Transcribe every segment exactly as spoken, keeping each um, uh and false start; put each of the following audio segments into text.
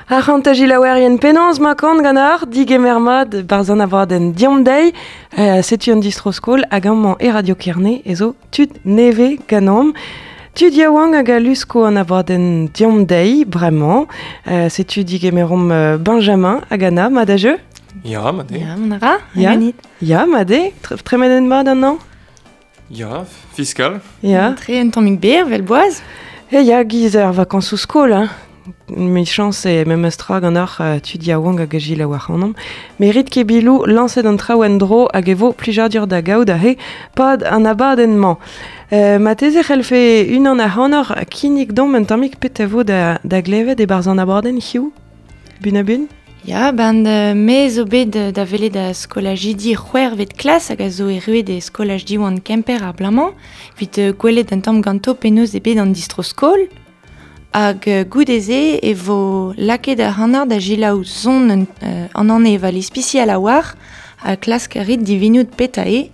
Ar c'hant ajilaouerien penaos ma kant gant ar digemer mat barzan abadenn diom deiz, euh, setu an distro-skol hag amañ e Radio Kerne ezo tud neve ganom. Tud yaouank hag a lusko an abadenn diom deiz, bremañ. Euh, setu digemerom euh, Benjamin hag Anna, mat a jeu? Ya, mat eo. Ya, mon ara, Ya. ganit. Ya, mat eo, Tre- tremenen mat an an? Ya, fiskal. Ya. Tre un tammig ber, vel boaz. E ya, giz ar vakansoù skol, hein. Mi chans e memes tra gant ar uh, tud yaouank hag a gil a war anom. Merit ket bilou lañset an traoù en-dro hag e vo plijadur da gaout ahe pad an abadenn-mañ. Euh, ma teze c'hellfe unan ac'hanoc'h kinnig domp un tammig pet a vo da, da glevet e-barzh an abadenn hiziv? Bun a bun? Ya, ben euh, me zo bet euh, da welet da skolajidi c'hwec'hvet klas hag a zo erruet e skolaj Diwan Kemper ar blamañ, evit euh, gwelet un tamm ganto penaos eo bet an distro-skol. Hag euh, goude-se e vo lakaet ar c'hanard da gilaou zon un, euh, an an eval ispisial a war ha klask a rit divinout peta eo.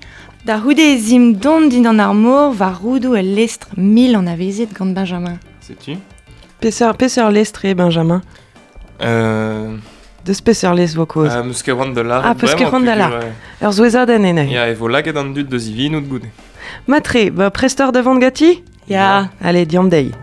Da c'houde ez im dont din an ar mor war roudou el lestr mil an avezet gant Benjamin. Setu? Peseurt, peseurt lestr eo, Benjamin? Euh, Deus peseurt lestr vo kaoz? Ah, meus ket c'hoant da lâret Ah, peus ket bremañ, c'hoant da peogwir, lâret. ouais. Ur zouezadenn eo neuze. Ya, e vo lakaet an dud da zivinout goude. Matre, ba prestor da vont gati? Ya. Allez, diom deiz.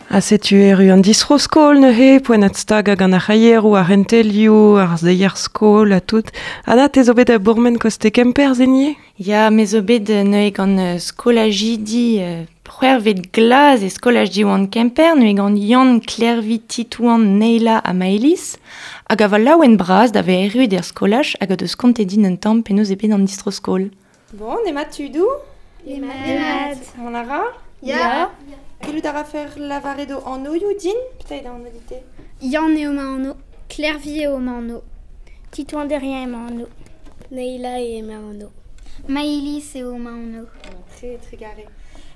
Ha setu erru an distro-skol neuze, poent ad stag hag an ar c'haieroù, ar c'hentelioù, ar zeier skol ha tout. Anna, te zo bet a bourmen koste Kemper, zenie? Ya, me zo bet euh, neuze gant euh, skolajidi euh, c'hwec'hvet glaz e skolaj Diwan Kemper, neuze gant Yann, Klervi, Titouan, Neila ha Maëlys, hag a va laouen bras da ve erruet er skolaj hag a deus kontet din un tamm penaos eo bet an distro-skol. Bon, ema tudou? Emat. Mon ara? Ya. Gellout a ra fer lavaret o anv din? Peut-être an odite. Yann eo ma anv. Klervi eo ma anv. Titouan Derrien eo ma anv. Neila eo ma anv. Maëlys eo ma anv. Très, très garé.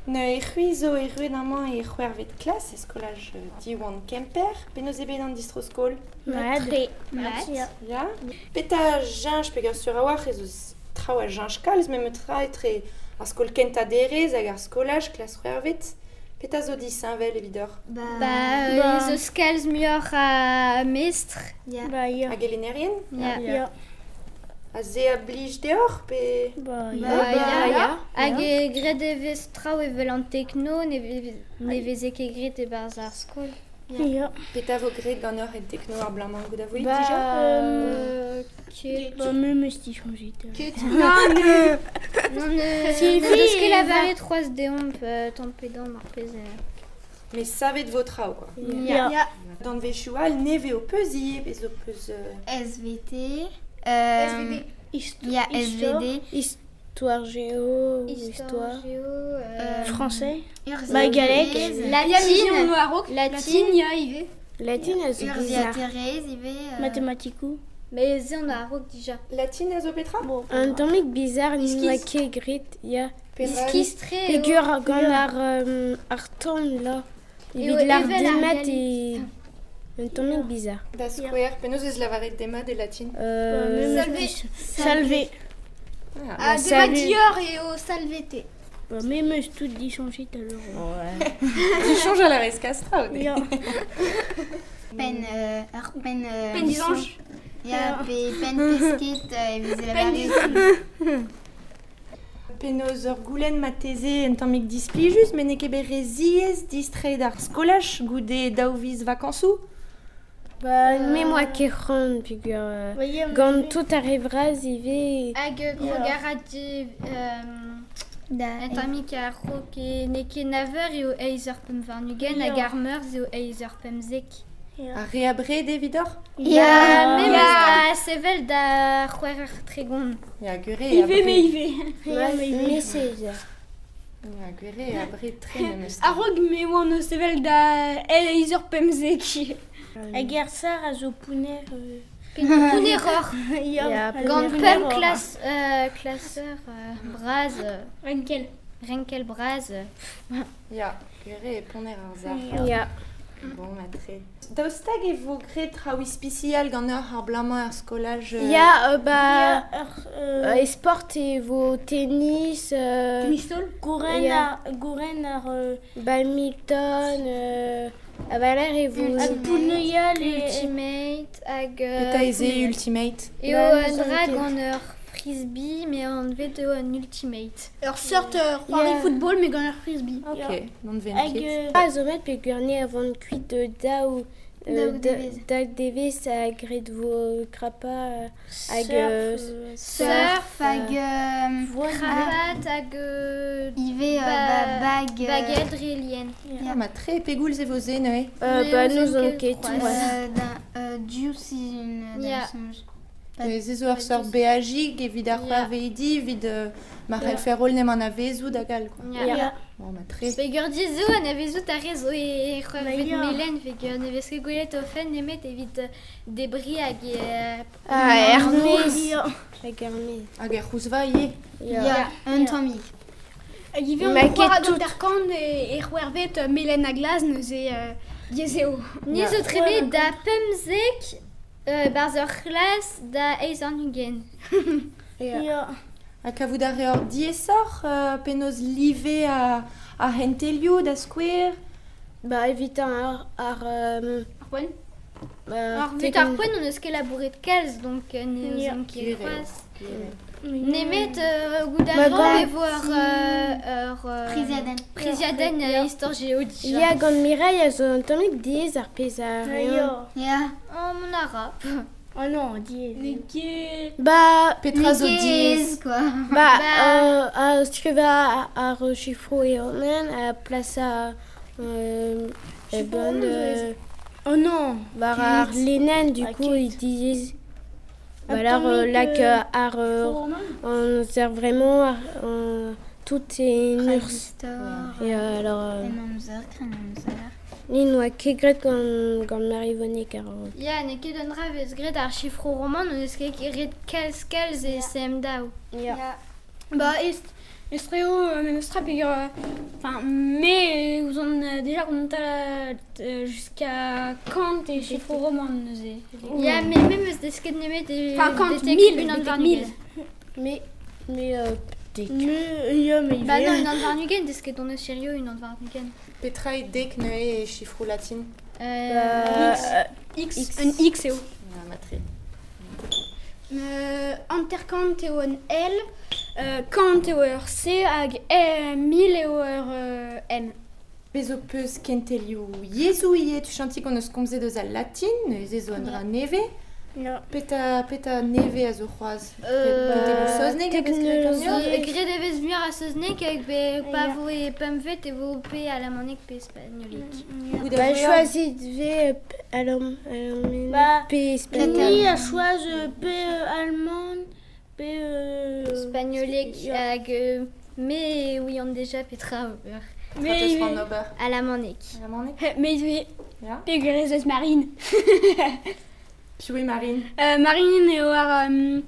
Ne e c'hwi zo erruet amañ e c'hwec'hvet klas e skolaj euh, Diwan Kemper, penaos eo bet an distro-skol? Mat. Tre. Mat. Ya. Ya. Peta jeñch peogwir sur a-walc'h ez eus traoù a jeñch kalz, memes tra etre ar skol kentañ derez hag ar skolaj klas c'hwec'hvet. Peta zo disheñvel evidoc'h? Ba, Ba. ba ez eus kalz muioc'h a mestr. Ya. Ba, ya. Hag elennerien? Ya. Ya. A ze a blij deoc'h pe... Ba, Ba, ya. ya. ya. Hag e graet e vez traoù evel an tekno, ne vez, ne veze ket graet e-barzh ar skol. Ya. Peta vo graet ganeoc'h en tekno ar blamañ goût a voit Ba, dija? euh, Ket. Ba, me meus dichañjet. Ket. Non, ne... Non, ne... Si, Ne deus ket si, lavaret c'hoazh deomp euh, tamm pe damm ar pezh. euh. Mais savet vo traoù, quoi. Ya. Ya. D'an vechoù all, neve o peus ivez, bez o peus... euh, S V T. Euh, S V D. Histo- Il y a S V D. Histoire géo, Histoire, histoire. géo, euh, Français. Urzia Ba, galleg. Thérèse. Latine. Latine, Latine. ya ivez. Latine a zo Urzia bizarre. Thérèse, ivez. Euh, Mathématikou. Mais ze on a raok dija. Latine a zo petra? Un tammig bizarre, n'oa ket graet, ya. Petra? Iskis-tre eo. Peogwir gant ar, euh, ar tamm, là. Eo Evit l'ar evel ar demat galleg. e... Un tammig bizarre. Da skouer, penaos eus lavaret demat e latine? Euh, Salvé. Salvé. Ah. Ah, Salut. demat dior eo salvete. Ba, me meus tout dichañjet alors. Tu changes à la rescastra, ou Ya. Pen, euh, ar pen. Euh, Pen dizañj. Ya, pe, pen pesket, euh, evit Pen lavaret. dizañj. Penaos ur goulenn ma teze un tammig displijus, met n'eo ket bet re ziaes distreiñ d'ar skolaj goude daou viz vakañsoù? Ba, me moa ket c'hoant peogwir euh, gant tout ar re vras ivez. Hag euh, krog a ra di... Euh, Da, Un tammig a raok e n'eo ket naver eo eizh eur pemp warn-ugent hag ar meurzh eo eizh eur pemzek. Ar re a bred evidoc'h? Ya, me meus da sevel da c'hwec'h eur tregont. Ya, gure a Ivez, me bred. ivez. Ma, me seiz eur. Ya, gure a bred tre memes. A-raok me oan o sevel da eizh eur pemzek. Hag ar sar a zo pouner. Euh... Pouneroc'h. Ya, Gant pemp klas, euh, klaseur euh, bras. Euh, Renkel. renkel braz. Ya, gere e poner ar zar. Ya. Bon, ma tre. Daoust hag e vo graet traoù ispisial ganeoc'h ar blamañ ar skolaj euh... Ya, euh, ba... Ya, ur, euh, e sport e vo tennis... Euh, Tennis-taol. Gouren Ya. ar, gouren ar... Euh, badminton... Euh, a valer e vo... hag pouneuial e... Ultimate hag... Euh, Petra ez eo Ultimate? Eo Ba, un nous on dra ket. gant ur frisbee, mais an vet eo un ultimate. Ur seurt euh, c'hoari Ya. football mais gant ur frisbee. Ok, non ven Hag... ket. Euh, Ah, zo met pe gwirne avant kuit de daou... Euh, Daou da- devez. daou devez a graet vo krapa euh, hag... Euh, surf, euh, Surf hag... Euh, Kravat hag... Euh, Ive euh, Ba- ba, bag... euh, baguette relien. Ah, ma tre pegoulz e vo se neuze. euh, Mais ba, on nous ket on ket c'hoazh. c'hoazh. Euh, d'un, euh, Juice une Ya. soñj. Ez zo ur seurt beajig evit ar Ya. c'hoarveidi evit euh, ma Ya. c'hellfer holl nem an avezou da gal, quoi. Ya. Ya. Bon, ma tre. Peger dizo an avezou ta rez zo e c'hoarvet ya. melen peger ne vez ket gwelet o fenn nemet evit euh, debri hag e... Ah, Hermès. Ya. Hag Hermès. Hag ar c'houzva ivez. Ya. Ya, un tammig. Hag ivez Ma on ket c'hoar tout. an terkant e, e c'hwervet euh, melen a glas neuze euh, diaes eo. Ni zo trebe da pemzek euh, barz ur c'hlas da eiz an ugent. Ya. Ya. Ha kavout ar reor diaesoc'h euh, penaos live a, a hentelioù da skouer. Ba, evit ar... ar euh, Ar poent. ba, Ar vut ar poent on eus ket labouret kalz, donc euh, ne Ya. eus ket Gwir eo. c'hoazh. Nemet euh, goût Ba, d'argent gant- e vo ur... euh, ur euh, Priziadenn. Priziadenn euh, istor géo dija. Ya, gant Mireille a zo un tammig diaes ar pezh a reont. Ya. Ya. Oh, mon ara. Oh non, diaes. Ne ket... Ba, Petra zo Diaes, diaes. quoi. ba, Ba- euh, a skriva ar chifro e onen a plasa euh, e Chifro bon, roman zo euh, Oh non. war ar lenen, du Ah, coup, ket. il diaes. Ba, Un alors, euh, tammig, lak euh, ar... euh, Chifro roman. on sert vraiment ar, on, tout est une urs. Transistor. Et euh, alors, euh, En amzer, kren amzer. ni noa ket graet gant, gant Marivonne ar Ya, ne ket un dra vez graet ar chifro roman, on eus ket ret kalz kalz e C M daou. Ya. Ya. Ba, est, estreo euh, memes tra peger... euh, Enfin, mais euh, ouzon euh, déjà on a euh, jusqu'à Kant et chiffre roman neuze. Ya, mais même eus deus ket nemet e... Enfin, Kant, betek mille, unan betek warn mille. ugent. Mais, mais, euh, dek. Mais, ya, mais Ba non, unan warn ugent, deus ket on eus hirio unan warn ugent. Petra e dek neuze e chifroù latin. Euh, Ba, X, X. Un X eo. Ah, ma tre. Euh, Anterkant eo un L, euh, Kant eo ur C hag euh, mille eo ur euh, M. Bez o peus kentelioù yezhoù ivez, tu chanti qu'on eus komzet eus al latin, neuze zo un dra neve. Ya. Peta, peta neve a zo c'hoazh. Euh, Kentelioù saozneg a vez graet ganeoc'h? Euh, Graet e vez muioc'h a saozneg hag be pa vo e pempvet e vo pe alamanek pe spagnolek. Goût a Ba, reor. choisit ve euh, p- alors, alors, Ba, pe espagnol. Ni a choaz euh, P euh, allemande, P euh, Spagnolek hag euh, me ouian deja petra ober. Petra teus c'hoant ober? Alamanek. Alamanek? Mais ivez Ya. peger ez eus Marine. Piv eo Marine? Euh, Marine eo ar... Euh,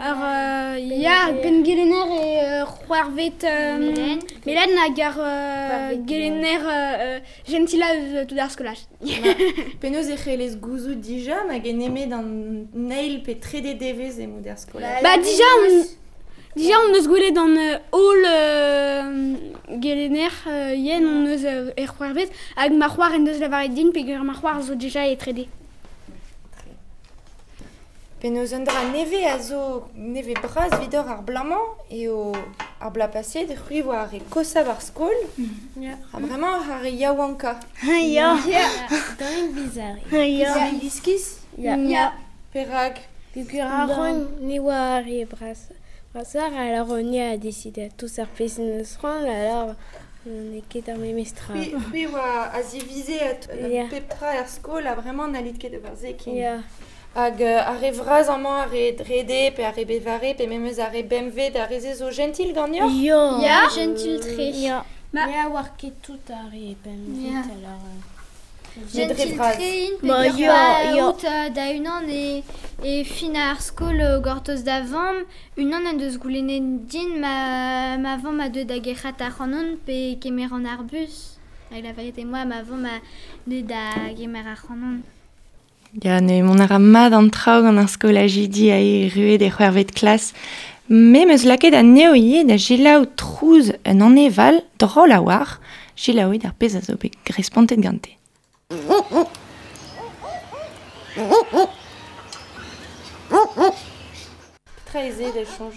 ar euh, ya, pen gelener e euh, c'hoarvet... Euh, Melen. Melen hag ar euh, C'hoarvet, gelener euh, euh, gentila eus euh, tout ar skolaj. Penaos e c'hellez gouzout dija hag en eme d'an neil pe trede devez e mod er skolaj. Ba, dija, on, dija on eus gwelet an euh, holl euh, gelener euh, yen on eus euh, er c'hoarvet hag ma c'hoar en deus lavaret din peger ma c'hoar zo dija e trede. Penaos un dra neve a zo neve braz vidor ar blamañ eo ar bla paset c'hwi vo ar e kosav ar skol. Ya. Ha bremañ ar e yaouanka. Ya. Tammig bizarre. Ya. Ya. Iskis? Ya. Ya. Perak? Peogwir ar c'hoant ne oa ar re bras, brasar, alors on y a décidé à tous ar pezh neus c'hoant, alors on est ket ar memes tra. C'hwi c'hwi oa a zivize a t- Ya. pep tra er skol a bremañ n'hallit ket ober se ken. Ya. Hag euh, ar re vraz amañ ar re drede pe ar re bevare pe memes ar re bemvet ar re ze zo gentil ganeoc'h? Ya. Ya, gentil tre. Ya. Ma... Ya, war ket tout ar re pemvet, Ya. alors... Euh... Gentil tre int, Ba, peogwir ya, pa ya. out euh, da unan e, e fin ar skol euh, gortoz da vamm, unan en deus goulennet din ma, ma vamm a deu da gerc'hat ar c'hanon pe kemer an ar bus. Hag la vérité, moi, ma vamm a deu da gemer ar c'hanon. Ya, ne mon ara mat an traoù gant ar skolajidi a e ruet e c'hwervet klas. Me meus lakaet anezho ivez da selaou trouz un aneval drol a oar, selaouit ar pezh a zo bet respontet gante. Petra ez eo da soñj?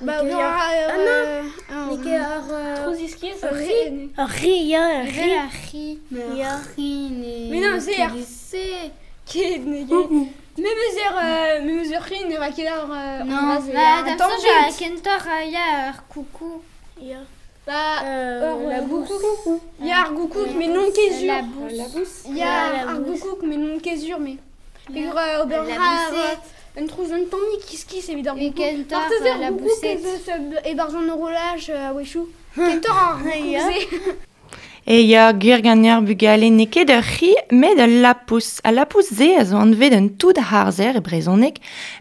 Ba, N'eo ket oui, ar- ar... Ah non, euh, N'eo ket ar... euh, Trouz iskis, Ur ri. ri. Ur ri, ya, ur ri. Evel ar c'hi. Ya. C'hi ne... Mais non, c'est ar C'est... Ket, ne ket. Me meus ur, euh, me meus ur c'hi ne va ket ar... euh, Non, an dra-se, ba, ar d'am tamm soñj a bet. kentoc'h a ya ur coucou. Ya. Ba, Euh, ur la goukouk. Ya ar goukouk, mais non ket La zur. bousse. La bousse. Ya La ar bousse. goukouk, mais non ket zur, mais. Ya. Peogwir euh, ober La ra ar, boussette. euh, un trouz un tammig iskis evit ar E goukouk. kentoc'h Marteze euh, ar la goukouk boussette. ez eus euh, e-barzh an horolaj euh, a-wechoù. Kentoc'h ar Ya. goukouk-se. E ya gwir ganer bugale n'eo ket ur c'hi, met ul lapous. A lapous-se a zo anvet un toud harzer e brezhoneg,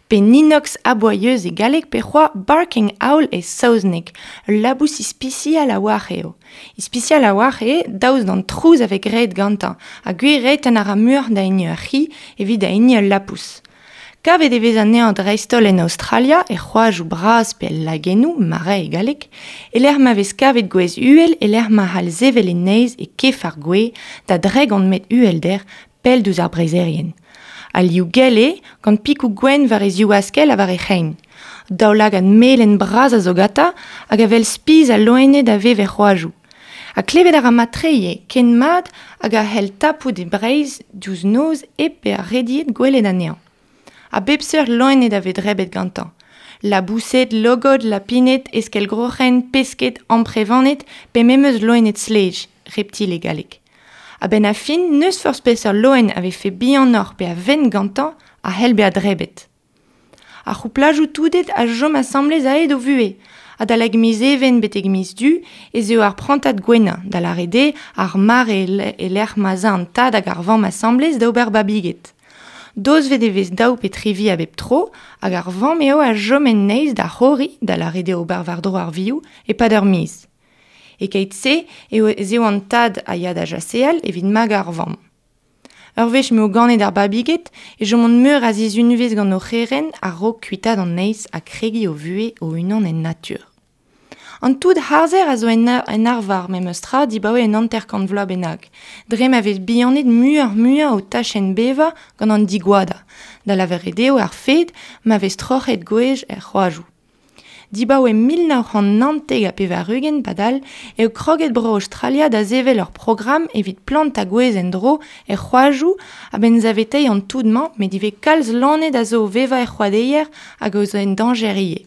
pe ninox aboyeuse e galleg pe c'hoa barking owl e saozneg. Ul labous ispisial a oar eo. Ispisial a oar eo daoust d'an trouz a vez graet gantañ, ha gwir eo tenn a ra muioc'h da hini ur c'hi evit da hini ul lapous. Kavet e vez anezhañ dreist-holl en Aostralia, e c'hoajoù bras pe el lagennoù, marais e galleg, e lec'h ma vez kavet gwez uhel e lec'h ma c'hall sevel e neizh e kef ar gwez da dregont metr uhelder pell diouzh ar breizherien. Al liv gell eo, gant pikoù gwenn war e zivaskell ha war e c'hein. Daoulagad melen bras a zo gantañ hag a wel spis al loened a vev er c'hoajoù. Ha klevet a ra mat-tre ivez, ken mat hag a c'hell tapout e Breizh diouzh noz hep bezañ rediet gwelet anezhañ. A bep seurt loened a vez drebet gantañ. Laboused, logod, lapined, eskell-groc'hen, pesked, amprevaned, pe memes loened slej, reptil e galleg. A-benn ar fin, n'eus forzh peseurt loen a vefe bihanoc'h pe a vent gantañ a c'hell bezañ drebet. Ar c'houplajoù touded a chom asambles a-hed o vuhez. Adalek miz Even betek miz Du ez eo ar prantad gwennañ, da lâret eo ar mare e lec'h ma 'z a an tad hag ar vamm asambles da ober babiged. Dozvet e vez daou pe tri vi a bep tro, hag ar vamm eo a chom en neizh da c'horiñ, da lâret eo ober war-dro ar vioù, e-pad ur miz. E-keit-se eo ez eo an tad a ya da jaseal evit magañ ar vamm. Ur wech m'eo ganet ar babiged e chomont meur a sizhunvezh gant o c'herent a-raok kuitaat an neizh ha kregiñ o vuhez o-unan en natur. An toud harzer a zo en, ar, en arvar memes tra dibaoe un hanter-kant vloaz bennak. Dre ma vez bihanet muioc'h-muiañ o tachenn bevañ gant an digoadañ, da lavaret eo ar fed ma vez troc'het gwez er c'hoajoù. Dibaoe mil nav c'hant naontek ha pevar-ugent padal eo kroget bro Aostralia da sevel ur programm evit plantañ gwez en-dro er c'hoajoù a-benn saveteiñ an toud-mañ met ivez kalz loened a zo o vevañ er c'hoadeier hag a zo en dañjer ivez.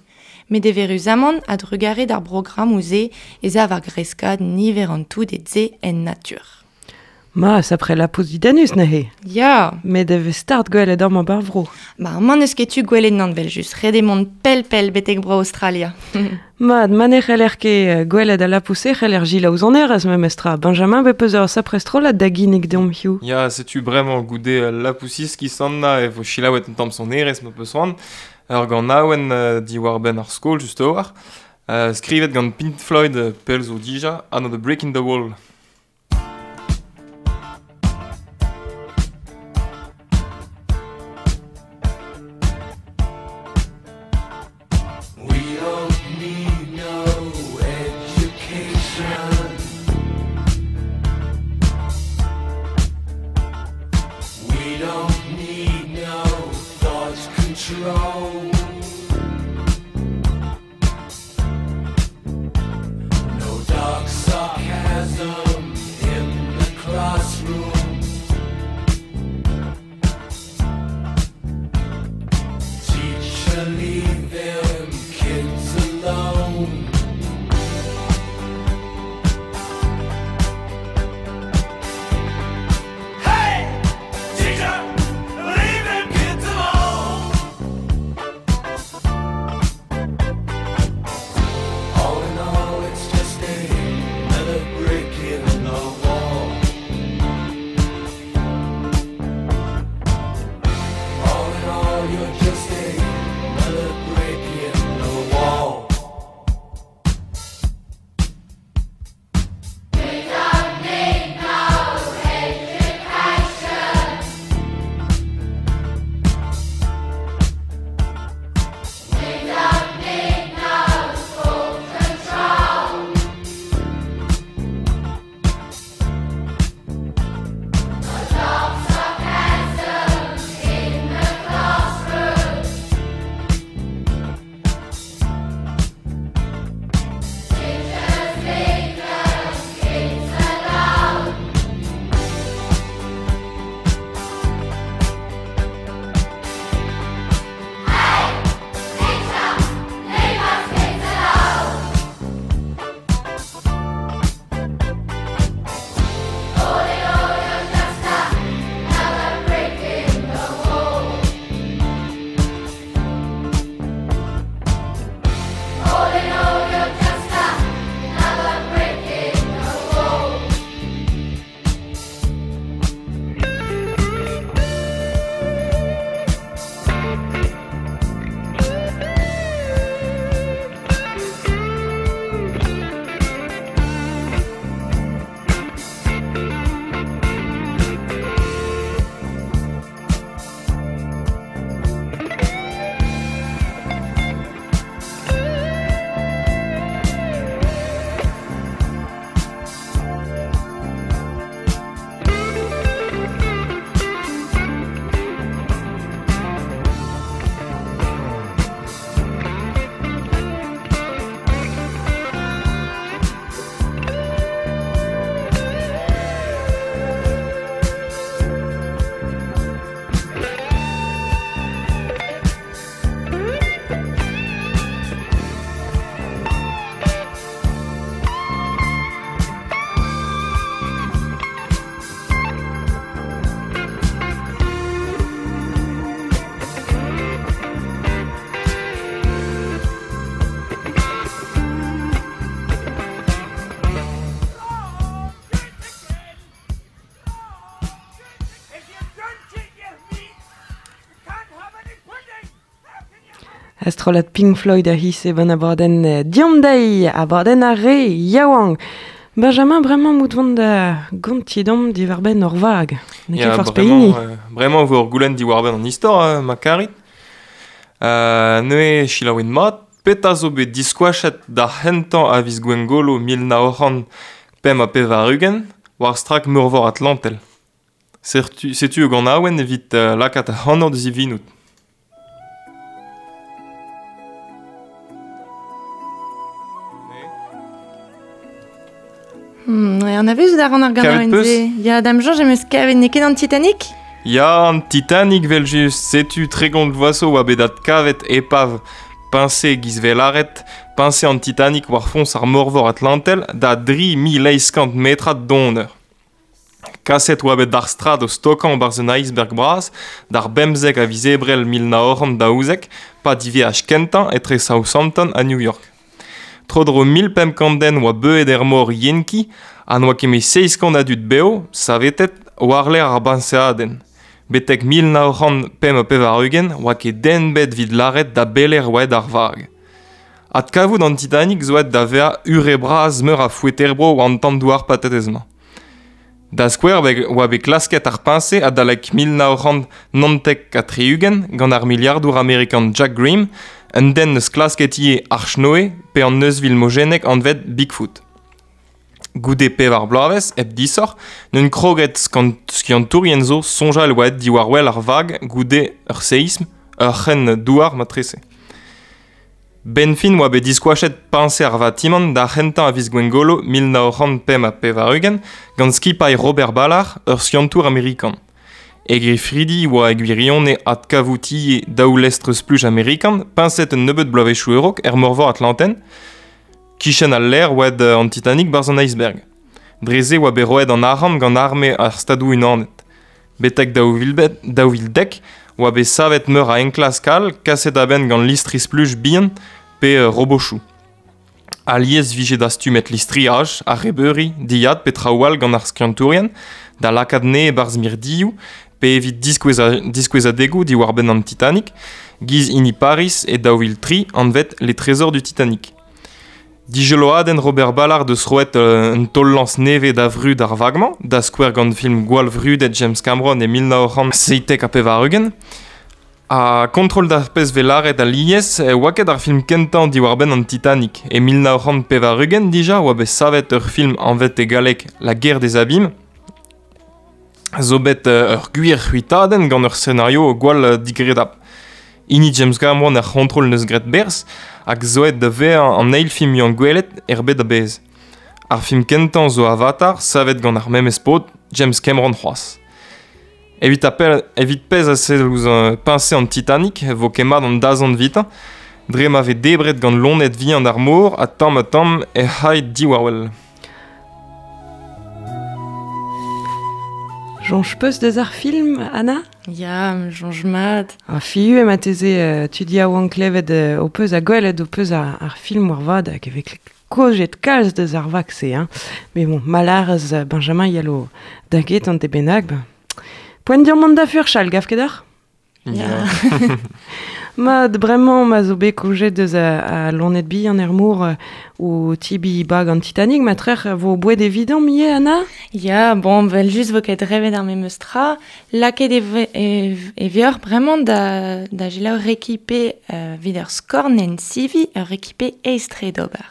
Met eüruzamant a-drugarez d'ar programmoù-se ez a war greskaat niver an touded-se en natur. Ma, sapre lapous didanus neuze. Ya, Met e vez start gwelet amañ bar vro. ba amañ n'eus ket tu gwelet nann vel just, ret eo mont pell-pell betek bro Aostralia. Mat, ma ne c'heller ket euh, gwelet al lapous-se c'heller selaou sonerezh memes tra. Benjamin, bet peus ur sapre strollad da ginnig deomp hiziv. Ya, setu bremañ goude euh, lapousis ki sanna e vo selaouet un tamm sonerezh ma peus c'hoant. Ur ganaouenn euh, diwar-benn ar skol just a-walc'h. Euh, skrivet gant Pink Floyd euh, pell zo dija, Another Brick in the Wall. We don't need no education. We don't need no thought control. No dark sarcasm in the classroom. Teacher, leave them kids alone. Hey, teacher, leave them kids alone. All in all, it's just another brick in the wall. Astrolad Pink Floyd a his e ban abadenn euh, Diom dei, abadenn ar re yaouank. Benjamin, bremañ mout vont da gontidom diwar-benn ur vag. N'eo ket Ya, forzh bremañ, pehini. euh, bremañ vo ur goulenn diwar-benn an istor, euh, ma karit. Euh, neuze selaouit mat, petra zo bet diskoachet d'ar c'hentañ a viz Gwengolo mil nav c'hant pemp ha pevar-ugent war strak meurvor Atlantel. Setu, setu ur ganaouenn evit euh, lakaat ac'hanoc'h da zivinout. Hmm, ouais, on a vu da ran ar Kavet ganaouenn peus? se. Ya, dam soñj em eus kavet n'eo ket an Titanic? Ya, an Titanic vel just, setu tregont vloaz zo oa bet adkavet epav piñse giz velaret, piñse an Titanic war foñs ar meurvor Atlantel da dri mil eizh kant metrad donner. Kaset oa bet d'ar strad o stokañ barzh un iceberg bras, d'ar bemzek a viz Ebrel mil nav c'hant daouzek, pa diveaj kentañ etre Southampton ha New York. Tro-dro mil pemp kant den oa beuet er mor Yenki, ha n'oa ket met seizh kant a dud bev, savetet, war-lerc'h ar bañseadenn. Betek mil nav c'hant pemp ha pevar-ugent oa ket den bet evit lâret da belec'h oa aet ar vag. Adkavout an Titanic zo aet da vezañ ure bras meur a foeter-bro war an tamm douar patatez-mañ. Da skouer be- oa bet klasket ar piñse adalek mil nav c'hant naontek ha tri-ugent gant ar miliardour amerikan Jack Grimm, un den eus klasket ivez Arch Noé pe an euzhvil mojennek anvet Bigfoot. Goude pevar bloavezh, hep disoc'h, n'eus kroget skant- skiantourien zo soñjal oa aet diwar-wel ar vag goude ur seism, ur c'hren douar matrese. Benfin oa bet diskoachet piñse ar vatimant d'ar c'hentañ a viz Gwengolo mil nav c'hant pemp ha pevar-ugent gant skipailh Robert Ballard, ur skiantour amerikan. E gefridi oa e gwirionez adkavoutier daou lestr spluj amerikan, piñset un nebeud bloavezhioù a-raok er meurvor Atlantel, kichen al lec'h oa aet an Titanic barzh an iceberg. Dre se oa bet roet an arc'hant gant arme ar Stadoù-Unanet. Betek daou vil bet, daou vil dek oa bet savet meur a enklask all kaset a-benn gant listri spluj bihan pe euh, robochoù. Alies vije dastumet listriaj, arrebeuri, dilhad pe traoù all gant ar skiantourien, da lakaat ne e-barzh mirdioù, pe evit diskoueza, diskouezadegoù diwar-benn an Titanic, giz hini Paris e daou vil tri anvet Les Trésors du Titanic. Dijeloadenn Robert Ballard deus roet euh, un taol-lañs nevez da vrud ar vag-mañ, da skouer gant film gwall vrudet James Cameron e mil nav c'hant seitek ha pevar-ugent. Ha kontrol d'ar pezh vez lâret alies, e oa ket ar film kentañ diwar-benn an Titanic. E mil nav c'hant pevar-ugent dija oa bet savet ur film anvet e galleg La Guerre des Abîmes, zo bet euh, ur gwir c'hwitadenn gant ur scenario gwall euh, digredap. Hini James Cameron ar c'hontrol neus graet berzh, hag zo aet da vezañ an eil film muiañ gwelet er bed a-bezh. Ar film kentañ zo Avatar, savet gant ar memes paotr, James Cameron c'hoazh. Evit appel, evit pezh a sell ouzh euh, piñse an Titanic, vo ket mat an dazont evitañ, dre ma vez debret gant loened vihan ar mor ha tamm ha tamm ec'h aet diwar-wel. Soñj peus deus ar film, Anna? Ya, soñj mat. Ar fiu ema teze euh, tud yaouank klevet euh, o peus a gwelet o peus ar, ar film war vad hag e vez kojet kalz deus ar vag-se, hein. Mais bon, malarez euh, Benjamin yalo da get an te bennak, ben. Poent dir mont da furchal, gav ket deoc'h? Ya. Mat, bremañ ma zo bet kojet deus a, a loened bihan er mor euh, o tibi bag an Titanic, ma trec'h vo boued evident mie, Anna? Ya, bon, vel just vo ket revet ar memes tra, lakaet e ve- e, e vioc'h bremañ da, da selaou rekipe euh, vid ur skornenn sivi, ur rekipe aes-tre d'ober.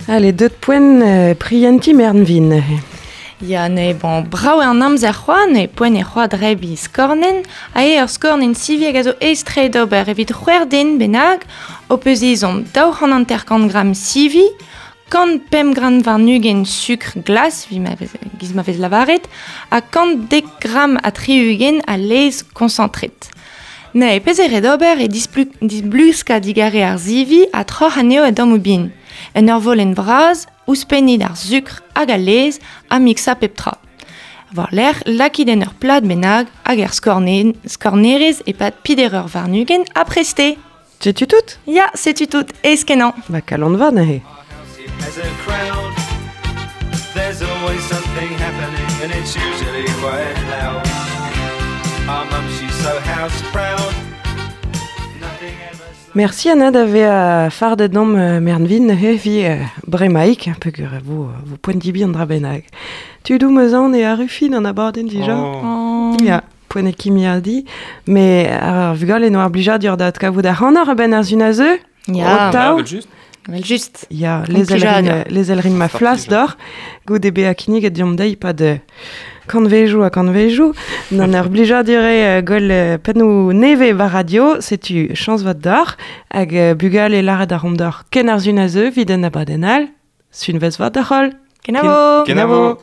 Allez, deut poent euh, prienti mernvin. Ya, ne, bon, brav eo an amzer c'hoaz, ne poent e c'hoaz drebi skornenn, ha eo ur skornenn sivi hag a zo aes-tre d'ober evit c'hwec'h den bennak, o peus ezhomm daou c'hant hanter-kant gramm sivi, kant pemp gramm warn-ugent sukr glas, vi ma vez, giz ma vez lavaret, ha kant dek gramm ha tri-ugent a laezh koñsantret. Ne, pezh eo ret ober e displu-, disbluskañ digare ar sivi ha troc'h anezho a dammoù bihan. En ur volenn vras, ouzhpennit ar sukr hag al laezh ha miksañ pep tra. War-lerc'h, lakit en ur plad bennak hag er skorne-, skornerez e-pad peder eur warn-ugent ha prest eo. Setu tout? Ya, setu tout, aes-kenañ. Ba kalon vat neuze. As a crowd, there's always something happening and it's usually quite loud. Our mum, she's so house proud. Nothing ever Merci Anna d'ave a fardet dom euh, mernvin he vi euh, bremaik, peogwir vo, vo poent dibi an dra bennak. Tudou meus aon e arru fin an abadenn dija. Oh. Ya, poent e kimiadi, me ar vugale no ar blijadur da adkavout ar c'hanoc'h a-benn ar sun a zeu. Ya. O taou. Ah, vel just. Vel just. Ya, Gant les elrin, plijadur. les elrin ma Fort flas plijadur. d'or, goude bezañ kinniget deomp dezhi pad euh, kantvejou ha kantvejou, n'an ur blijadur eo euh, gwell euh, pennoù nevez war radio, setu chañs vat d'or, hag euh, bugale lâret ar romp d'or ken ar sun a zeu, evit an abadenn all, sunvez vat d'ar c'holl. Kenavo. Kenavo.